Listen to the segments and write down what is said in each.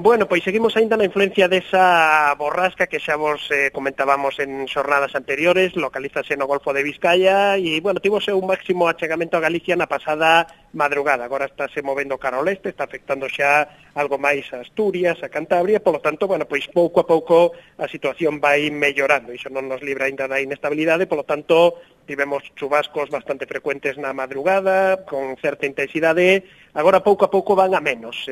Bueno, pois seguimos aínda na influencia desa borrasca que xa vos comentábamos en xornadas anteriores, localízase no Golfo de Vizcaya e, bueno, tivose un máximo achegamento a Galicia na pasada madrugada. Agora estáse movendo cara ao leste, está afectando xa algo máis a Asturias, a Cantabria, polo tanto, bueno, pois pouco a pouco a situación vai mellorando. Iso non nos libra aínda da inestabilidade, polo tanto, tivemos chubascos bastante frecuentes na madrugada, con certa intensidade. Agora pouco a pouco van a menos.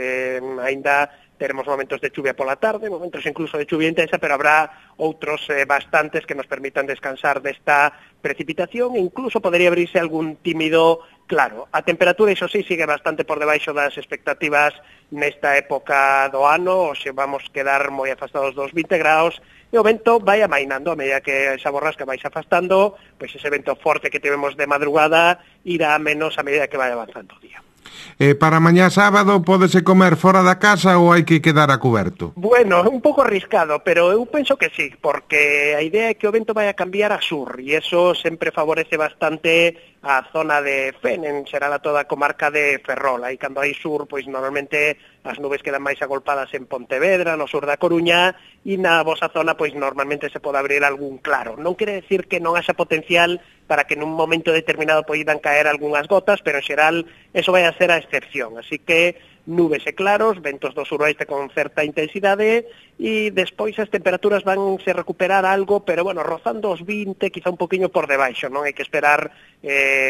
Aínda teremos momentos de chuvia pola tarde, momentos incluso de chuvia intensa, pero habrá outros bastantes que nos permitan descansar desta precipitación e incluso podería abrirse algún tímido claro. A temperatura, iso sí, sigue bastante por debaixo das expectativas nesta época do ano, ou se vamos quedar moi afastados dos 20 graus, e o vento vai amainando a medida que esa borrasca vai se afastando, pois ese vento forte que tivemos de madrugada irá a menos a medida que vai avanzando o día. Para mañá sábado pódese comer fora da casa ou hai que quedar a cuberto? Bueno, un pouco arriscado, pero eu penso que sí, porque a idea é que o vento vai a cambiar a sur, e eso sempre favorece bastante a zona de Fen, en xeral a toda a comarca de Ferrol. Aí cando hai sur, pois normalmente as nubes quedan máis agolpadas en Pontevedra, no sur da Coruña, e na vosa zona, pois normalmente se pode abrir algún claro. Non quere decir que non haxa potencial para que nun momento determinado poidan caer algunhas gotas, pero en xeral eso vai a ser a excepción. Así que nubes e claros, ventos do suroeste con certa intensidade e despois as temperaturas van se recuperar algo, pero bueno, rozando os 20, quizá un poquinho por debaixo, non hai que esperar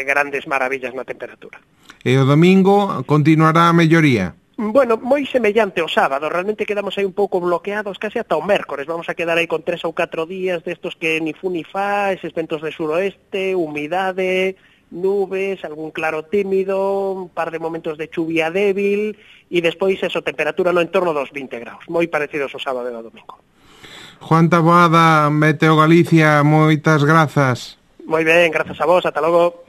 grandes maravillas na temperatura. E o domingo continuará a melloría? Bueno, moi semellante ao sábado, realmente quedamos aí un pouco bloqueados case ata o mércores, vamos a quedar aí con 3 ou 4 días destos que ni fu ni fa, eses ventos de suroeste, humidade, nubes, algún claro tímido, un par de momentos de chuvia débil e despois eso, temperatura no entorno dos 20 graus, moi parecidos ao sábado e ao domingo. Juan Taboada, Meteo Galicia, moitas grazas. Moi ben, grazas a vos, ata logo.